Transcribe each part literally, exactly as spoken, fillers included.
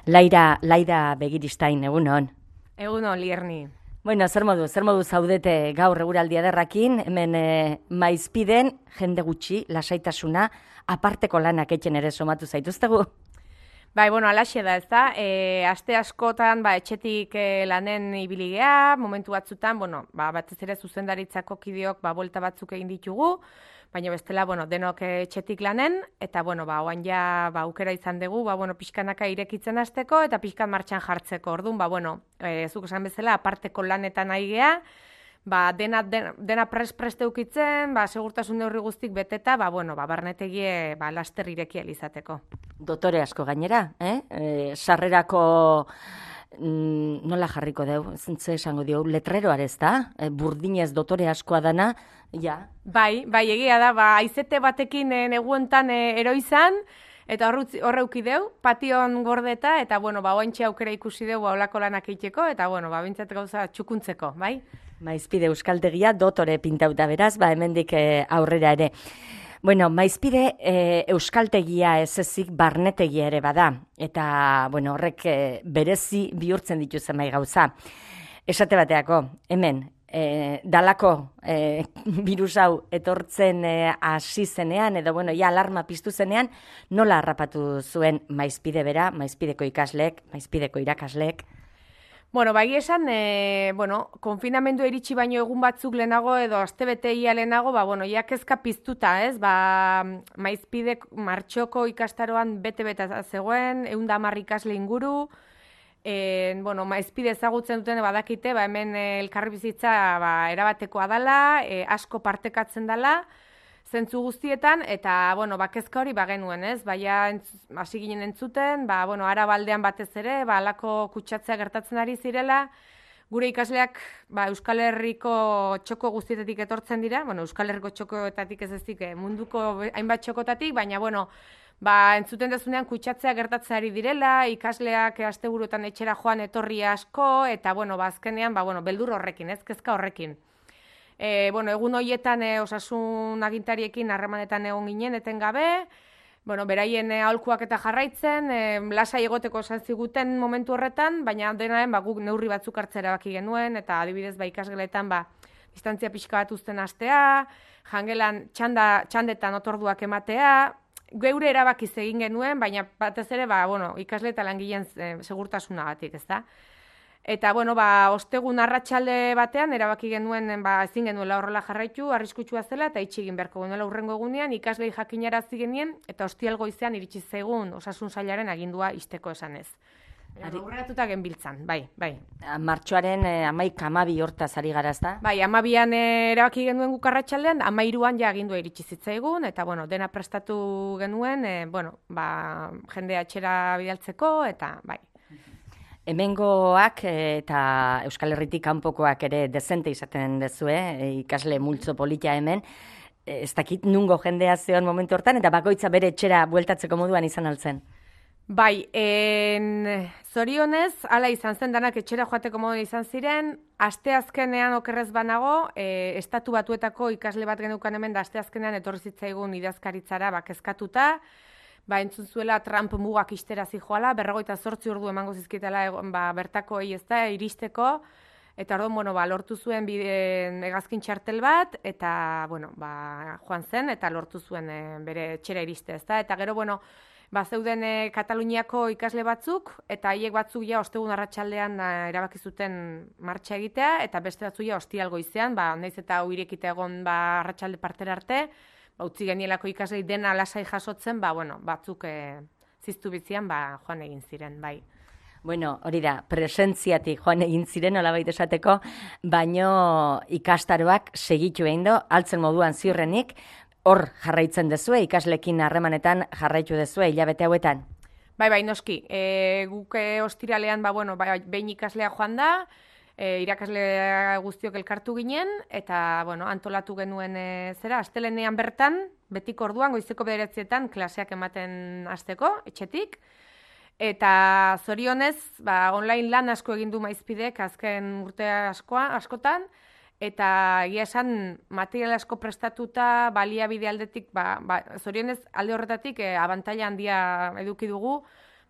Laira, Laira Begiristain, egunon. Egunon, Lierni. Bueno, zer modu, zer modu zaudete gaur eguraldi ederrakin, hemen e, maizpiden, jende gutxi, lasaitasuna, aparteko lanak etxen ere somatu zaituztegu? Bai, bueno, alaxe da, ez da, e, aste askotan, ba, etxetik e, lanen ibiligea, momentu batzutan, bueno, ba, batez ere zuzendaritzako kideok, ba, buelta batzuk egin ditugu, baina bestela, bueno, denok etxetik lanen, eta, bueno, ba, oan ja, ba, aukera izan dugu, ba, bueno, pixkanaka irekitzen hasteko, eta pixkan martxan jartzeko, orduan, ba, bueno, e, zuk esan bezala, aparteko lanetan nahi gea, ba, dena, dena, dena pres-preste ukitzen, ba, segurtasun neurri guztik beteta, ba, bueno, ba, barnetegie, ba, laster irekia izateko. Dotore asko gainera, eh? E, sarrerako mm, nola jarriko deu, zentze esango dio, letreroare ez da, e, burdinez dotore askoa dana, ja. Bai, bai, egia da, ba, aizete batekin e, neguentan e, eroizan, eta horreuki deu, pation gordeta, eta, bueno, ba, oantxe aukera ikusi deu, ba, olako lanak eiteko, eta, bueno, ba, bintzat gauza txukuntzeko, bai? Maizpide euskaltegia dotore pintauta beraz, ba, hemendik e, aurrera ere. Bueno, maizpide e, euskaltegia ez ezik barnetegia ere bada, eta, bueno, horrek e, berezi bihurtzen ditu zenbait gauza. Esate bateako, hemen, e, dalako e, virus hau etortzen e, hasi zenean, edo, bueno, ja alarma piztu zenean, nola harrapatu zuen maizpide bera, maizpideko ikasleek, maizpideko irakasleek? Bueno, bai esan, e, bueno, konfinamendu iritsi baino egun batzuk lehenago edo astebete ia lehenago, ba, bueno, ja kezka piztuta, ez? Ba, maizpidek martxoko ikastaroan bete-bete zegoen, ehun eta hamar ikasle inguru, e, bueno, maizpide ezagutzen duten badakite, ba, hemen elkarbizitza ba, erabatekoa dela, e, asko partekatzen dela, zentzu guztietan, eta, bueno, ba, kezka hori ba genuen, ez? Baina hasi ginen entzuten, ba, bueno, Arabaldean batez ere, ba, alako kutsatzea gertatzen ari zirela, gure ikasleak, ba, Euskal Herriko txoko guztietatik etortzen dira, bueno, Euskal Herriko txokoetatik ez ezik, munduko hainbat txokotatik, baina, bueno, ba, entzuten dezunean kutsatzea gertatzen ari direla, ikasleak asteburuetan etxera joan etorri asko, eta, bueno, ba, azkenean, ba, bueno, beldur horrekin, ez, kezka horrekin. E, bueno, egun horietan e, osasun agintariekin harremanetan egon ginen etengabe, bueno, beraien e, aholkuak eta jarraitzen, e, lasai egoteko esan ziguten momentu horretan, baina denaren ba, guk neurri batzuk hartzera baki genuen, eta adibidez ba, ikasgeletan ba, distantzia pixka bat uzten hastea, jangelan txanda, txandetan otorduak ematea, geure erabakiz egin genuen, baina batez ere ba, bueno, ikasle eta langileen e, segurtasunagatik, ezta? Eta, bueno, ba, ostegun arratsalde batean, erabaki genuen, ba, ezin genuela horrela jarraitu, arriskutsua zela, eta itxi egin beharko genuela hurrengo egunean, ikaslei jakinarazi genien, eta ostial goizean iritsi zaigun osasun sailaren agindua ixteko esanez. Aurreratuta genbiltzan, bai, bai. Martxoaren eh, amaik amabi hortaz ari gara, ezta? Bai, amabian eh, erabaki genuen guk arratsaldean, amairuan ja agindua iritsi zitzaigun, eta, bueno, dena prestatu genuen, eh, bueno, ba, jendea etxera bidaltzeko, eta, bai. Hemengoak eta Euskal Herritik kanpokoak ere dezente izaten dezue, ikasle multzo polita hemen, ez dakit nungo jendea zeon momentu hortan, eta bakoitza bere etxera bueltatzeko moduan izan altzen. Bai, en, zorionez, hala izan zen, danak etxera joateko moduan izan ziren, asteazkenean okerrez banago, e, estatu batuetako ikasle bat genukan hemen, da asteazkenean etorri zitzaigun idazkaritzara bakezkatuta, ba, entzun zuela Trump mugak ixtera zijoala, berrogeita zortzi ordu emango zizkitela ba, bertako egi ez da, iristeko, eta orduan, bueno, ba, lortu zuen bide, hegazkin txartel bat, eta, bueno, ba, joan zen, eta lortu zuen e, bere etxera iriste, ez da, eta gero, bueno, ba, zeuden e, Kataluniako ikasle batzuk, eta haiek batzuk ja ostegun arratsaldean e, erabaki zuten martxa egitea, eta beste batzuk ja ostial goizean, ba, naiz eta hau irekita egon ba, arratsalde partera arte, ba, utzi genielako ikaslei dena lasai jasotzen, ba, bueno, batzuk e, ziztu bitzian, ba, joan egin ziren, bai. Bueno, hori da, presentziatik joan egin ziren, olabait esateko, baino ikastaroak segitu egin do, altzen moduan ziurrenik, hor jarraitzen dezue, ikaslekin harremanetan jarraitu dezue, hilabete hauetan? Bai, bai, noski, e, guk e, ostiralean, ba, bueno, ba, behin ikaslea joan da, E, irakasle guztiok elkartu ginen, eta, bueno, antolatu genuen e, zera, astelenean bertan, betiko orduan, goizeko bederatzietan, klaseak ematen hasteko, etxetik, eta zorionez, ba, online lan asko egin du maizpidek, azken urte askoa, askotan, eta egia esan material asko prestatuta, baliabide aldetik, ba, ba, zorionez alde horretatik, e, abantaila handia eduki dugu,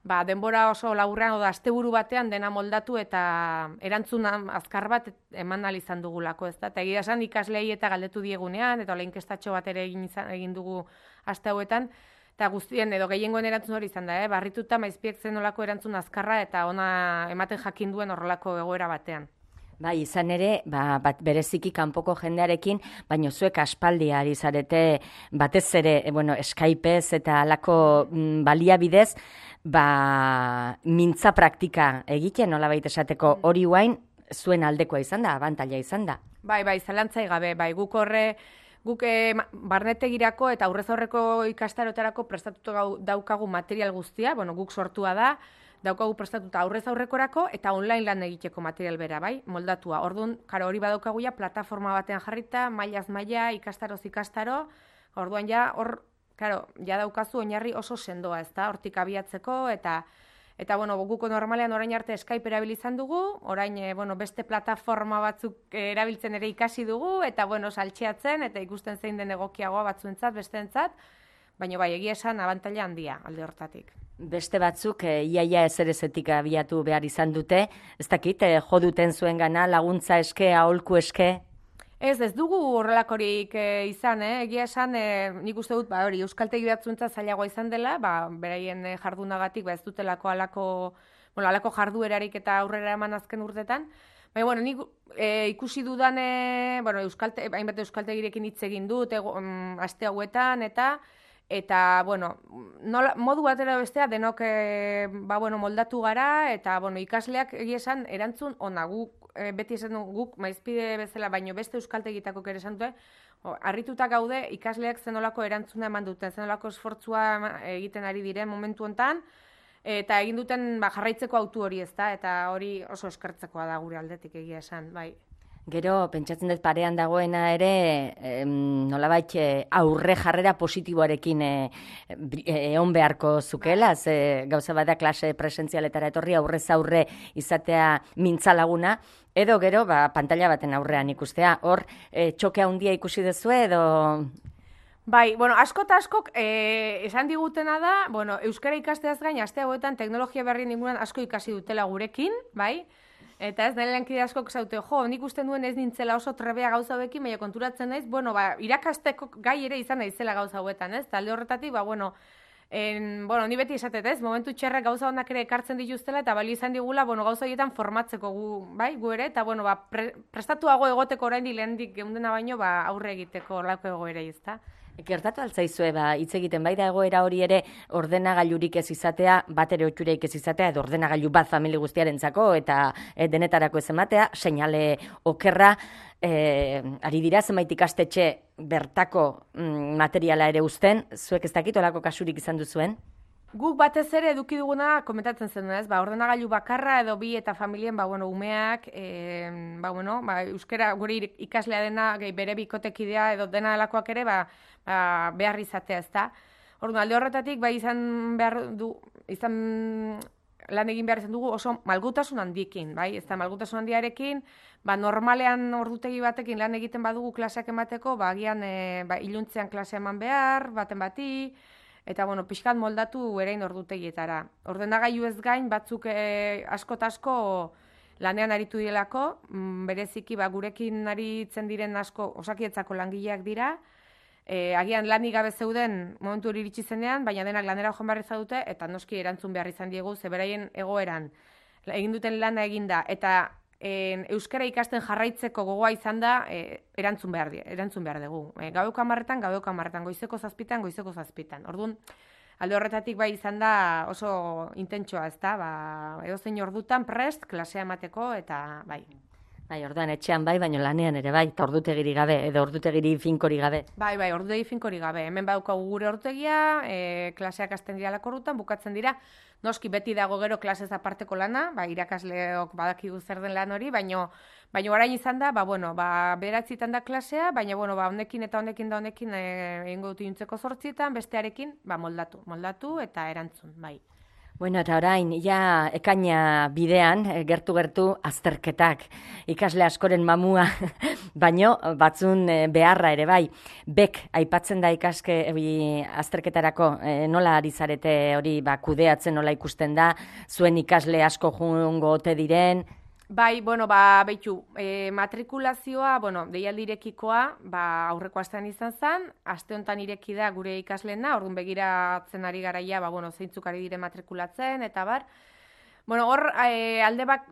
ba, denbora oso laburrean, oda asteburu batean dena moldatu eta erantzun azkar bat eman ahal izan dugulako, ez da? Eta egia esan ikaslei eta galdetu diegunean, eta hola inkestatxo bat ere egin, izan, egin dugu aste hauetan, eta guztien edo gehiengoen erantzun hori izan da, eh? Barrituta maizpiek zen olako erantzun azkarra eta ona ematen jakin duen horrelako egoera batean. Bai, izan ere, ba, bat bereziki kanpoko jendearekin, baino zuek aspaldi ari zarete batez ere, e, bueno, Skypez eta alako mm, baliabidez, ba, mintza praktika egiten, nolabait esateko hori guain, zuen aldekoa izan da, abantaila izan da. Bai, bai, zalantzai gabe, bai, guk horre, guk eh, barnetegirako eta aurrez aurreko ikastarotarako prestatuko daukagu material guztia, bueno, guk sortua da, daukagu prestatuta aurrez aurrekorako eta online lan egiteko material bera, bai, moldatua. Orduan, karo, hori badaukagu ja plataforma batean jarrita, mailaz maila, ikastaroz ikastaro, orduan ja, hor, karo, ja daukazu oinarri oso sendoa, ez da, hortik abiatzeko, eta, eta, bueno, guko normalean orain arte Skype erabilizan dugu, orain, e, bueno, beste plataforma batzuk erabiltzen ere ikasi dugu, eta, bueno, saltxeatzen, eta ikusten zein den egokiagoa batzuentzat, besteentzat, baina bai, egia esan abantaila handia alde hortatik. Beste batzuk e, iaia ezerezetik abiatu behar izan dute, ez dakit, e, jo duten zuen gana, laguntza eske, aholku eske? Ez, ez dugu horrelakorik e, izan, eh? Egia esan, e, nik uste dut, ba, hori, euskaltegi batzuentza zailagoa izan dela, ba, beraien e, jardunagatik, ba, ez dutelako alako, bueno, alako jarduerarik eta aurrera eman azken urtetan. Baina, bueno, nik e, ikusi dudan, e, bueno, euskalte, hainbat euskaltegirekin hitz egin dut, ego, um, aste hauetan, eta, eta, bueno, nola, modu batera bestea denok e, ba, bueno, moldatu gara, eta, bueno, ikasleak egia esan erantzun ona guk, e, beti esan guk maizpide bezala, baino beste euskaltegitako ere esan dute, harrituta gaude ikasleak zenolako erantzuna eman duten, zenolako esfortzua egiten ari diren momentu hontan, eta egin duten ba, jarraitzeko autu hori, ez da, eta hori oso eskertzekoa da gure aldetik egia esan, bai. Gero, pentsatzen dut parean dagoena ere, em, nolabait aurre jarrera positiboarekin egon beharko zukela, ze gauza bada klase presentzialetara etorri aurrez aurre izatea mintzalaguna, edo gero, ba, pantalla baten aurrean ikustea. Hor, e, txoke handia ikusi duzu edo... Bai, bueno, asko eta askok eh, esan digutena da, bueno, euskara ikasteaz gain, aste hauetan teknologia berrien inguruan asko ikasi dutela gurekin, bai? Eta ez, nire lankide askok zaute, jo, nik usten duen ez nintzela oso trebea gauza hauekin, baina konturatzen naiz, bueno, ba, irakasteko gai ere izan naizela gauza hauetan, ez? Talde horretatik, ba, bueno, en, bueno, ni beti esatet, ez? Momentu txerrak gauza honak ere ekartzen dituztela, eta bali izan digula, bueno, gauza horietan formatzeko gu, bai, gu ere, eta, bueno, ba, pre, prestatuago egoteko orain lehendik geundena baino, ba, aurre egiteko lako egoera, ezta? Gertatu altzaizue, ba, hitz egiten bai da egoera hori ere ordenagailurik ez izatea, bat ere otxureik ez izatea, edo ordenagailu bat famili guztiarentzako eta e, denetarako ez ematea, seinale okerra, e, ari dira zenbait ikastetxe bertako mm, materiala ere uzten, zuek ez dakit olako kasurik izan duzuen? Guk batez ere eduki duguna komentatzen zen, ez? Ba, ordenagailu bakarra edo bi eta familien, ba, bueno, umeak, e, ba, bueno, ba, euskera gure ikaslea dena, gehi bere bikotekidea edo dena delakoak ere, ba, ba, behar izatea, ez da? Orduan, alde horretatik, ba, izan behar du, izan lan egin behar izan dugu oso malgutasun handiekin, bai? Ez da, malgutasun handiarekin, ba, normalean ordutegi batekin lan egiten badugu klaseak emateko, ba, agian, e, ba, iluntzean klasea eman behar, baten bati, eta, bueno, pixkat moldatu erein ordutegietara. Ordenagailu ez gain, batzuk e, asko eta asko lanean aritu direlako, bereziki ba, gurekin aritzen diren asko osakietzako langileak dira, e, agian lanik gabe zeuden momentu hori iritsi zenean, baina denak lanera joan behar izan dute, eta noski erantzun behar izan diegu, zeberaien egoeran egin duten lana eginda, eta En, euskara ikasten jarraitzeko gogoa izan da e, erantzun behar die, erantzun behar dugu. E, gaueko hamarretan, gaueko hamarretan, goizeko zazpitan, goizeko zazpitan. Orduan, alde horretatik bai izan da oso intentsoa, ez da, ba, edozein ordutan prest, klasea emateko, eta bai. Bai, orduan etxean bai, baina lanean ere bai, eta ordutegiri gabe, edo ordutegiri finkori gabe. Bai, bai, ordutegi finkori gabe. Hemen badaukagu gure ordutegia, e, klaseak hasten dira lakorrutan, bukatzen dira, noski beti dago gero klasez aparteko lana, ba, irakasleok badakigu zer den lan hori, baino, baino orain izan da, ba, bueno, ba, beratzitan da klasea, baina, bueno, ba, honekin eta honekin da honekin egingo dut inuntzeko zortzietan, bestearekin, ba, moldatu, moldatu eta erantzun, bai. Bueno, eta orain, ja, ekaina bidean, gertu-gertu azterketak, ikasle askoren mamua, baino batzun beharra ere bai. Bek, aipatzen da ikaske azterketarako, nola ari zarete hori ba, kudeatzen nola ikusten da, zuen ikasle asko jungo ote diren? Bai, bueno, ba, behitu, e, matrikulazioa, bueno, deialdi irekikoa, ba, aurreko astean izan zen, aste honetan ireki da gure ikasleena, orduan begiratzen ari garaia, ba, bueno, zeintzuk ari dire matrikulatzen, eta bar. Bueno, hor, e, alde bak,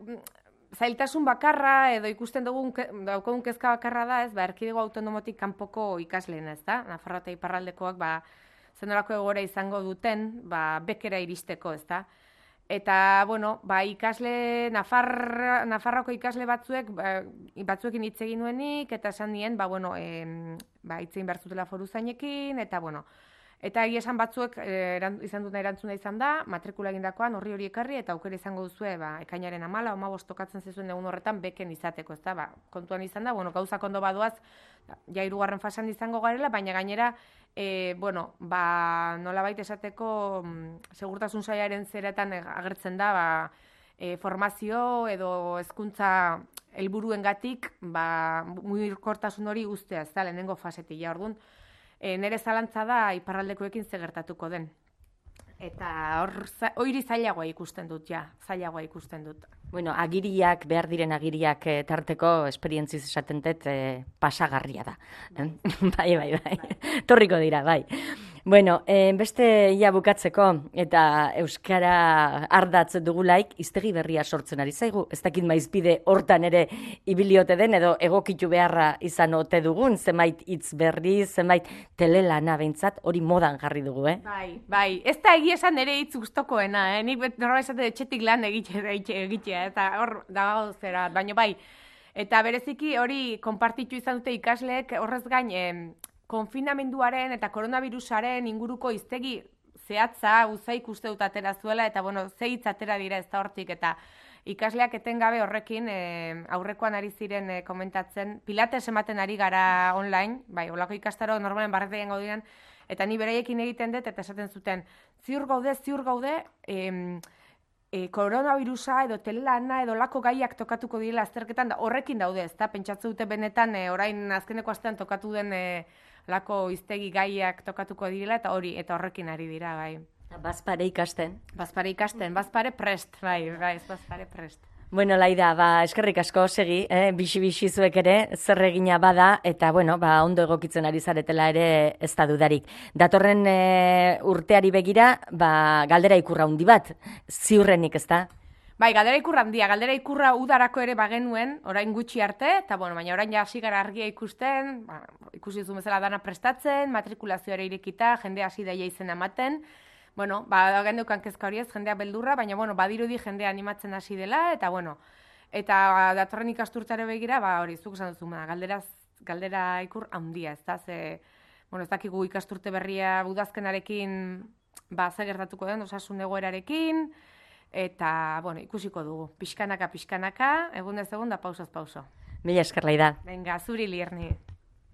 zailtasun bakarra, edo ikusten dugun, daukagun kezka bakarra da, ez, ba, erkidego autonomotik kanpoko ikasleen, ez da, Nafarroa eta iparraldekoak, ba, zenolako egora izango duten, ba, bekera iristeko, ez da. Eta, bueno, ba, ikasle, Nafar, Nafarroko ikasle batzuek, ba, batzuekin hitz egin nuenik, eta esan nien, ba, bueno, e, ba, hitz egin behar zutela foruzainekin, eta, bueno, eta egia esan batzuek e, eran, izan duten erantzuna izan da, matrikula egindakoan horri hori ekarri, eta aukera izango duzue, ba, ekainaren amala, hamabost tokatzen zizuen egun horretan, beken izateko, ez da, ba, kontuan izan da, bueno, gauzak ondo badoaz, ja hirugarren fasan izango garela, baina gainera, E, bueno, ba, nolabait esateko segurtasun sailaren zeretan agertzen da ba, e, formazio edo hezkuntza helburuengatik ba, mugikortasun hori ustea, ez da, lehenengo fasetik ja, orduan. E, nere zalantza da iparraldekoekin ze gertatuko den. Eta hor, hori zailagoa ikusten dut, ja, zailagoa ikusten dut. Bueno, agiriak, behar diren agiriak e, tarteko, esperientziz esaten dut, e, pasagarria da. Bai, bai, bai, bai. Torriko dira, bai. Bueno, e, beste ia bukatzeko, eta euskara ardatz dugulaik, hiztegi berria sortzen ari zaigu. Ez dakit maizpide hortan ere ibiliote den, edo egokitu beharra izan ote dugun, zenbait hitz berri, zenbait telelana behintzat, hori modan jarri dugu, eh? Bai, bai. Ez da egia esan ere hitz gustokoena, eh? Nik norra esate etxetik lan egitea, eta hor dago zera, baina bai. Eta bereziki hori konpartitu izan dute ikasleek horrez gain, eh, konfinamenduaren eta koronavirusaren inguruko hiztegi zehatza, uza ikuste dut atera zuela, eta bueno, ze hitz atera dira ez da hortik, eta ikasleak etengabe horrekin e, aurrekoan ari ziren e, komentatzen, pilates ematen ari gara online, bai, olako ikastaro normalen barretean gaudian, eta ni beraiekin egiten dut, eta esaten zuten, ziur gaude, ziur gaude, em, e, koronavirusa edo telelana edo lako gaiak tokatuko direla azterketan, da, horrekin daude, ez da, pentsatze dute benetan, e, orain azkeneko astean tokatu den e, lako iztegi gaiak tokatuko direla, eta hori, eta horrekin ari dira, bai. Bazpare ikasten. Bazpare ikasten, bazpare prest, bai, bai, bazpare prest. Bueno, Laida, ba, eskerrik asko segi, eh, bixi-bixi zuek ere, zer egina bada, eta, bueno, ba, ondo egokitzen ari zaretela ere ez da dudarik. Datorren e, urteari begira, ba, galdera ikurra hundi bat, ziurrenik, ez da? Bai, galdera ikurra handia, galdera ikurra udarako ere bagenuen, orain gutxi arte, eta bueno, baina orain ja hasi gara argia ikusten, ba, ikusi duzu bezala dana prestatzen, matrikulazioa irekita, jende hasi daia izena ematen, bueno, ba, gendeukan kezka hori ez, jendea beldurra, baina bueno, badirudi jendea animatzen hasi dela, eta bueno, eta datorren ikasturtare begira, ba, hori, zuk esan duzu, galdera, galdera ikur handia, ez da, ze, bueno, ez dakigu ikasturte berria budazkenarekin, ba, ze gertatuko den, osasun egoerarekin, eta, bueno, ikusiko dugu. Pixkanaka, pixkanaka, egun ez egun da pausaz pauso. Mila esker, Laida. Venga, zuri Lierni.